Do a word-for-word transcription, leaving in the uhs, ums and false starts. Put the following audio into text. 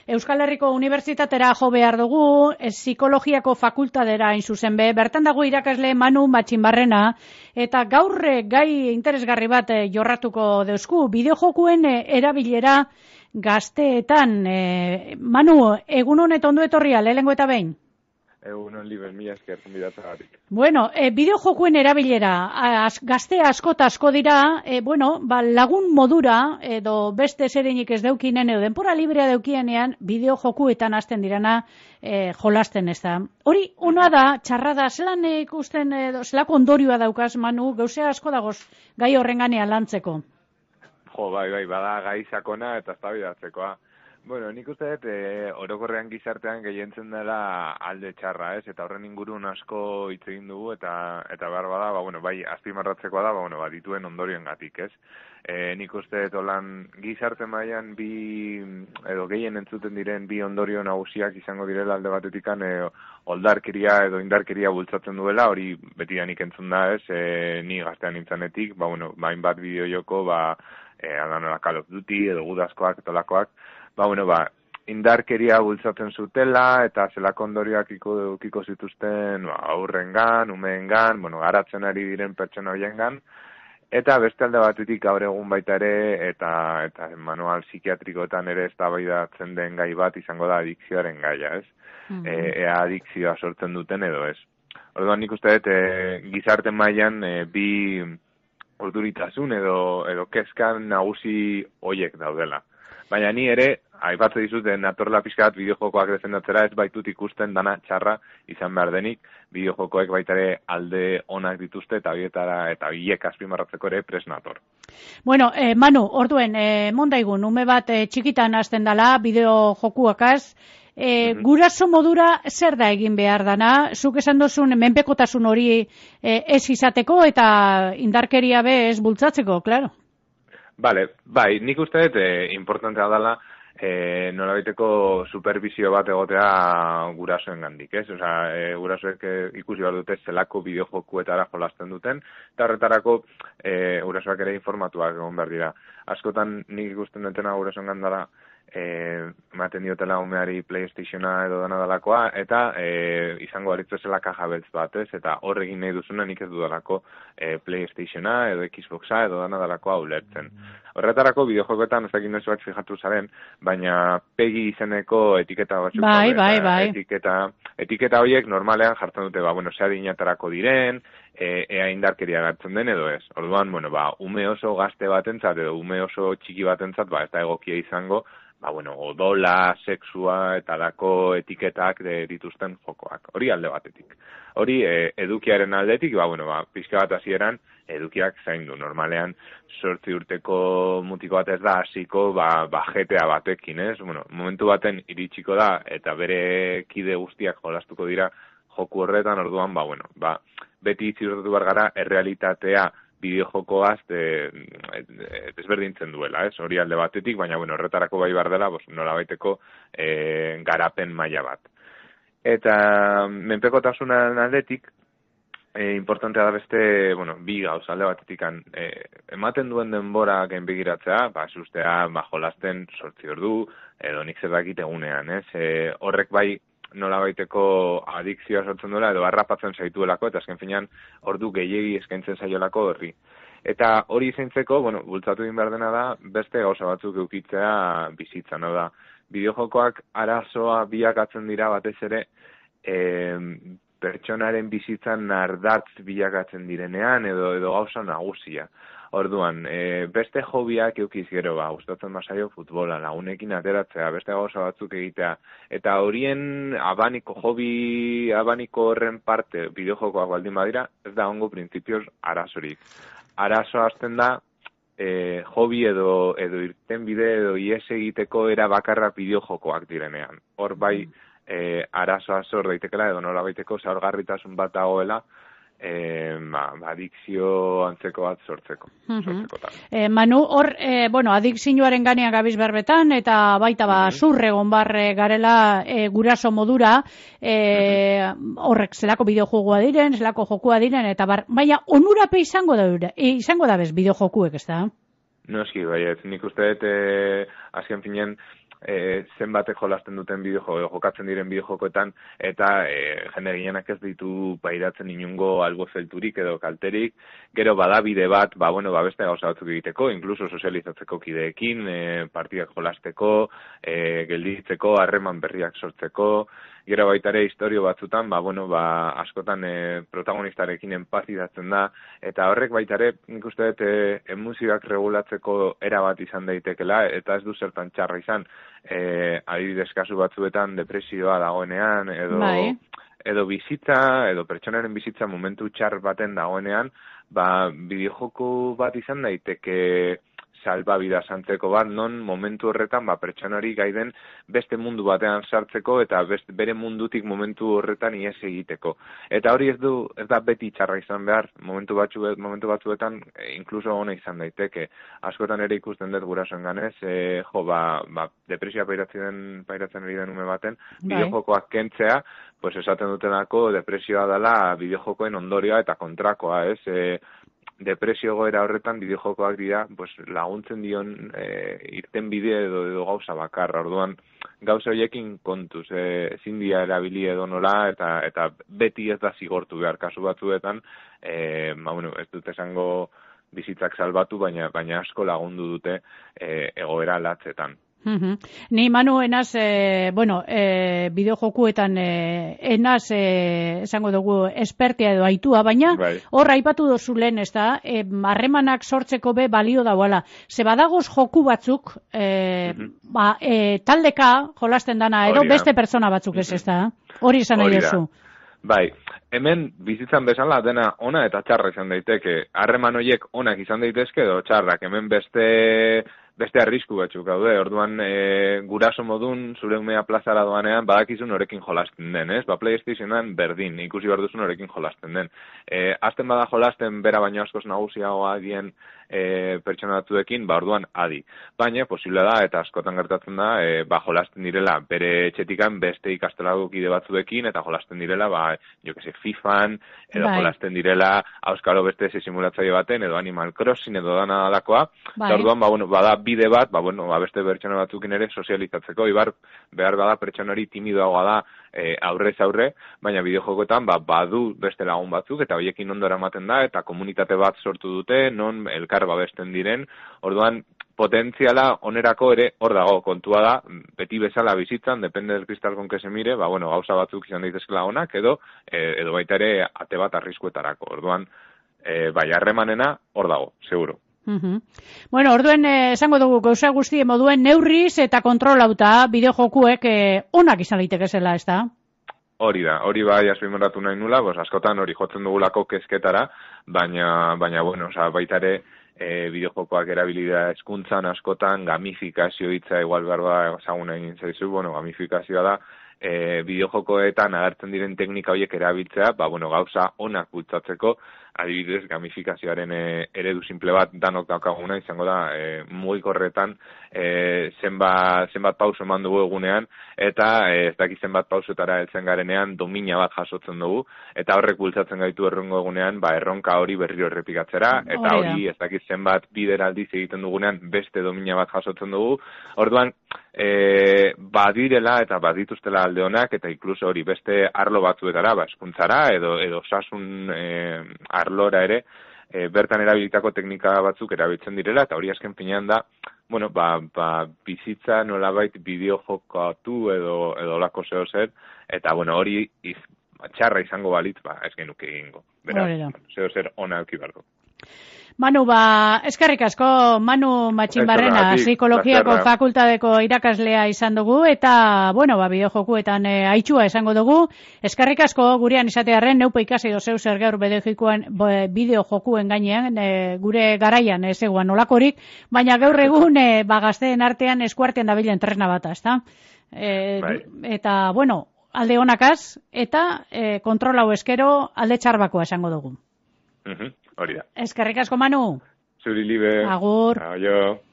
Euskal Herriko Unibertsitatera jo behar dugu, psikologiako fakultatera hain zuzen be, bertan dago irakasle Manu Matxinbarrena, eta gaur gai interesgarri bat jorratuko deusku, bideojokuen erabilera gazteetan. Manu, egun honet ondo etorria, lehengo eta behin? Egunon liber, mila esker, gonbidatzagatik. Bueno, e, bideojokuen erabilera, az, gazte asko eta asko dira, e, bueno, ba, lagun modura, edo beste zereinik ez deukinen, edo denpora librea deukienean, bideojokuetan hasten dirana e, jolasten ez da. Hori, ona da, txarra da, zelan ikusten, edo, zelako ondorioa daukaz, Manu, gauzea asko dagoz gai horrenganean lantzeko. Jo, bai, bai, bada gai sakona eta eztabaidatzekoa. Bueno, nik uste dut, e, orokorrean gizartean gehientzen dela alde txarra, ez? Eta horren ingurun asko hitz egin dugu, eta eta behar bada, ba, bueno, bai, azpimarratzekoa da, ba, bueno, ba, dituen ondorioen gatik, ez? E, nik uste dut, olan, gizarte mailan bi, edo gehien entzuten diren bi ondorio nagusiak izango direla alde batetikan, e, oldarkeria edo indarkeria bultzatzen duela, hori beti nik entzun da, ez? E, ni gaztean nintzanetik, ba, bueno, bain bat bideojoko, ba, e, adanola Call of Duty, edo gudazkoak, etolakoak, ba, bueno, ba, indarkeria bultzatzen zutela, eta zelako ondorioak iko, ikiko zituzten ba, aurrengan, umeengan, bueno, garatzen ari diren pertsona horiengan, eta beste alde batetik gaur egun baita ere, eta eta manual psikiatrikoetan ere eztabaidatzen den gai bat izango da adikzioaren gaia, ez? Mm-hmm. E, ea adikzioa sortzen duten edo ez. Orduan nik uste dut, e, gizarte mailan e, bi urduritasun edo, edo kezkan nagusi hoiek daudela. Baina ni ere, aipatze dizuten natorla pixka bat bideojokoak defendatzera, ez baitut ikusten dana txarra izan behar denik, bideojokoek baita ere alde onak dituzte eta bietara eta biek azpimarratzeko ere pres nator. Bueno, eh, Manu, orduen, eh, mondaigun, ume bat eh, txikitan hasten dala bideojokuakaz, eh, mm-hmm. Guraso modura zer da egin behar dana, zuk esan dozun menpekotasun hori eh, ez izateko eta indarkeria be ez bultzatzeko, klaro. Bale, bai, nik uste dut, eh, importantea dela, eh, nolabaiteko supervisio bat egotea gurasoen gandik, ez? Osea, eh, gurasoek eh, ikusi behar dute zelako bideojokuetara jolasten duten, eta horretarako eh, gurasoak ere informatuak egon behar dira. Askotan nik ikusten dutena gurasoen gandara, eh, ematen diotela umeari PlayStationa edo dana dalakoa, eta eh, izango aritzu zela kaja beltz bat, ez? Eta hor egin nahi duzuna nik ez dudalako eh, PlayStationa edo Xboxa edo dana dalakoa ulertzen. Horretarako bideojokoetan ez dakit nesu bat fijatu zaren, baina pegi izeneko etiketa batzuk. Bai, bai, bai. Etiketa, etiketa horiek normalean jartzen dute, ba, bueno, zea dinatarako diren, e, ea indarkeria gartzen den edo ez. Orduan, bueno, ba, ume oso gazte batentzat edo ume oso txiki batentzat, ba, ez da egokia izango, ba, bueno, odola, sexua eta dako etiketak de, dituzten jokoak. Hori alde batetik. Hori e, edukiaren aldetik, ba, bueno, ba, pixka bat hasieran edukiak zaindu. Normalean, sortzi urteko mutiko bat ez da hasiko, ba, ba G T A batekin, ez? Bueno, momentu baten iritsiko da, eta bere kide guztiak jolastuko dira joku horretan, orduan, ba, bueno, ba, beti ziurtatu behar gara errealitatea bideojokoaz de, de, desberdintzen duela, ez? Hori alde batetik, baina, bueno, horretarako bai behar dela, nola baiteko e, garapen maila bat. Eta menpekotasunaren aldetik, e, importantea da beste, bueno, bi gauz alde batetik, e, ematen duen denbora gainbegiratzea, ba, sustea, ba, jolasten sortzi ordu, edo nik zer dakit egunean, ez? E, horrek bai, nola baiteko adikzioa sortzen duela, edo harrapatzen zaituelako, eta azken finean ordu gehiegi eskaintzen zaiolako horri. Eta hori zaintzeko, bueno, bultzatu din behar dena da, beste gauza batzuk eukitzea bizitzan, hau da. Bideojokoak arazoa bilakatzen dira batez ere, e, pertsonaren bizitzan nardatz bilakatzen direnean, edo edo gauza nagusia. Orduan, e, beste hobiak eukiz gero, ba, gustatzen basaio futbola, lagunekin ateratzea, beste gauza batzuk egitea, eta horien abaniko, hobi abaniko horren parte bideojokoak baldin badira, ez da ongo printzipioz arazorik. Arazoa hasten da, e, hobi edo, edo irten bide edo ies egiteko era bakarra bideojokoak direnean. Hor bai, e, arazoa zor daitekela edo nola baiteko zaurgarritasun bat dagoela, E, ba, adikzio antzeko bat sortzeko. Uh-huh. eh, Manu, hor, eh, bueno, adikzioaren ganean gabiz berbetan, eta baita ba, uh-huh. zurregon barre garela eh, guraso modura, eh, uh-huh. horrek zelako bideojokoa diren, zelako jokua diren, eta bar, baina onurape izango da, e, izango da bez bideojokuek, ez da? Noski, bai, ez nik uste dut, eh, azken finean, e, zenbatek jolasten duten bideo jokatzen diren bideojokoetan, eta e, jende gehienak ez ditu pairatzen inungo albo zelturik edo kalterik, gero bada bide bat, ba, bueno, ba, beste gauza batzuk egiteko, inkluso sozializatzeko kideekin, e, partidak jolasteko, e, gelditzeko, harreman berriak sortzeko, gero baita ere historio batzutan, ba, bueno, ba, askotan e, protagonistarekin empatizatzen da, eta horrek baita ere, nik uste dut, e, emozioak regulatzeko era bat izan daitekela, eta ez du zertan txarra izan, e, adibidez kasu batzuetan depresioa dagoenean, edo, bai. edo bizitza, edo pertsonaren bizitza momentu txar baten dagoenean, ba, bideojoko bat izan daiteke salbabida santzeko bat, non momentu horretan ba, pertsonari gaiden beste mundu batean sartzeko eta beste, bere mundutik momentu horretan ies egiteko. Eta hori ez du ez da beti txarra izan behar, momentu batzu momentu batzuetan e, inkluso ona izan daiteke. Askotan ere ikusten dut gurasoen ganez, e, jo, ba, ba, depresioa pairatzen, pairatzen ari den ume baten, bideojokoak kentzea, pues esaten dutenako depresioa dela bideojokoen ondorioa eta kontrakoa, ez? E, depresio goera horretan bideojokoak dira pues, laguntzen dion e, irten bide edo, edo gauza bakarra. Orduan gauza horiekin kontuz, e, ezin dira erabili edo nola eta eta beti ez da zigortu behar kasu batzuetan, e, ba, bueno, ez dut esango bizitzak salbatu, baina baina asko lagundu dute e, egoera latzetan. Uh-huh. Ni Manu enaz, e, bueno, e, bideojokuetan e, enaz, e, esango dugu, espertia edo aitua, baina bai. Hor aipatu dozu lehen, ez da, e, harremanak sortzeko be balio dauala. Ze badagoz joku batzuk, e, uh-huh. ba, e, taldeka jolasten dana, edo beste pertsona batzuk ez, ez da? Hori izan nahi duzu. Bai, hemen bizitzan bezala dena ona eta txarra izan daiteke. Harreman horiek onak izan daitezke edo txarrak, hemen beste... beste arrisku batzuk gaude, orduan e, guraso modun zure umea plazara doanean badakizu norekin jolasten den, ez? Ba, PlayStationan berdin, ikusi behar duzu norekin jolasten den. E, azten bada jolasten bera baino askoz nagusiagoa dien e, pertsona batzuekin, ba, orduan adi. Baina, posible da, eta askotan gertatzen da, e, ba, jolasten direla bere etxetikan beste ikastolako kide batzuekin, eta jolasten direla, ba, jo que se, FIFAn, edo bai. Jolasten direla, auskalo beste ze simulatzaile baten, edo Animal Crossing, edo dana dalakoa, bai. Eta orduan, ba, bueno, bada bide bat, ba, bueno, ba, beste pertsona batzukin ere sozializatzeko, ibar, behar bada pertsonari timidoagoa da e, aurrez aurre, baina bideojokoetan ba, badu beste lagun batzuk, eta horiekin ondo eramaten da, eta komunitate bat sortu dute, non elkar babesten diren, orduan, potentziala onerako ere hor dago, kontua da, beti bezala bizitzan, depende del cristal con que se mire, ba, bueno, gauza batzuk izan daitezkela onak, edo, e, edo baita ere ate bat arriskuetarako, orduan, e, bai, harremanena hor dago, seguro. Uh-huh. Bueno, orduen eh, esango dugu gauza guztien moduen neurriz eta kontrolauta bideojokuek eh, onak izan daitekezela, ez da? Hori da, hori bai azpimarratu nahi nula, bos, askotan hori jotzen dugulako kezketara, baina, baina bueno, oza, baita ere e, bideojokoak erabilidea hezkuntzan askotan, gamifikazio hitza igual berba ezagun egin zaizu, bueno, gamifikazioa da, e, bideojokoetan agertzen diren teknika horiek erabiltzea, ba, bueno, gauza onak bultzatzeko, adibidez, gamifikazioaren e, eredu simple bat danok daukaguna izango da, e, mugikorretan e, zenbat, zenbat pauso eman dugu egunean, eta e, ez dakit zenbat pausetara heltzen garenean domina bat jasotzen dugu, eta horrek bultzatzen gaitu errongo egunean, ba, erronka hori berriro errepikatzera, eta hori ez dakit zenbat bideraldiz egiten dugunean beste domina bat jasotzen dugu, orduan, e, badirela eta badituztela alde honak, eta inkluso hori beste arlo batzuetara, ba, eskuntzara, edo, edo osasun e, arlora ere, e, bertan erabilitako teknika batzuk erabiltzen direla, eta hori azken finean da, bueno, ba, ba, bizitza nolabait bideojokatu edo, edo lako zeo zer, eta bueno, hori iz, txarra izango balitz, ba, ez genuke egingo. Beraz, zeo zer ona eukibarko. Manu, ba, eskerrik asko, Manu Matxinbarrena, psikologiako fakultadeko irakaslea izan dugu, eta, bueno, ba, bideojokuetan e, aitxua esango dugu. Eskerrik asko, gurean izatearen, neupo ikasi dozeu zer gaur bideojokuen gainean, e, gure garaian ez eguan olakorik, baina gaur egun, e, ba, gazteen artean eskuartean dabilen tresna bat, ezta? E, eta, bueno, alde honakaz, eta e, kontrolau eskero alde txarbakoa esango dugu. Uh-huh. Hori da. Eskerrik asko, Manu. Zuri libe. Agur. Aio.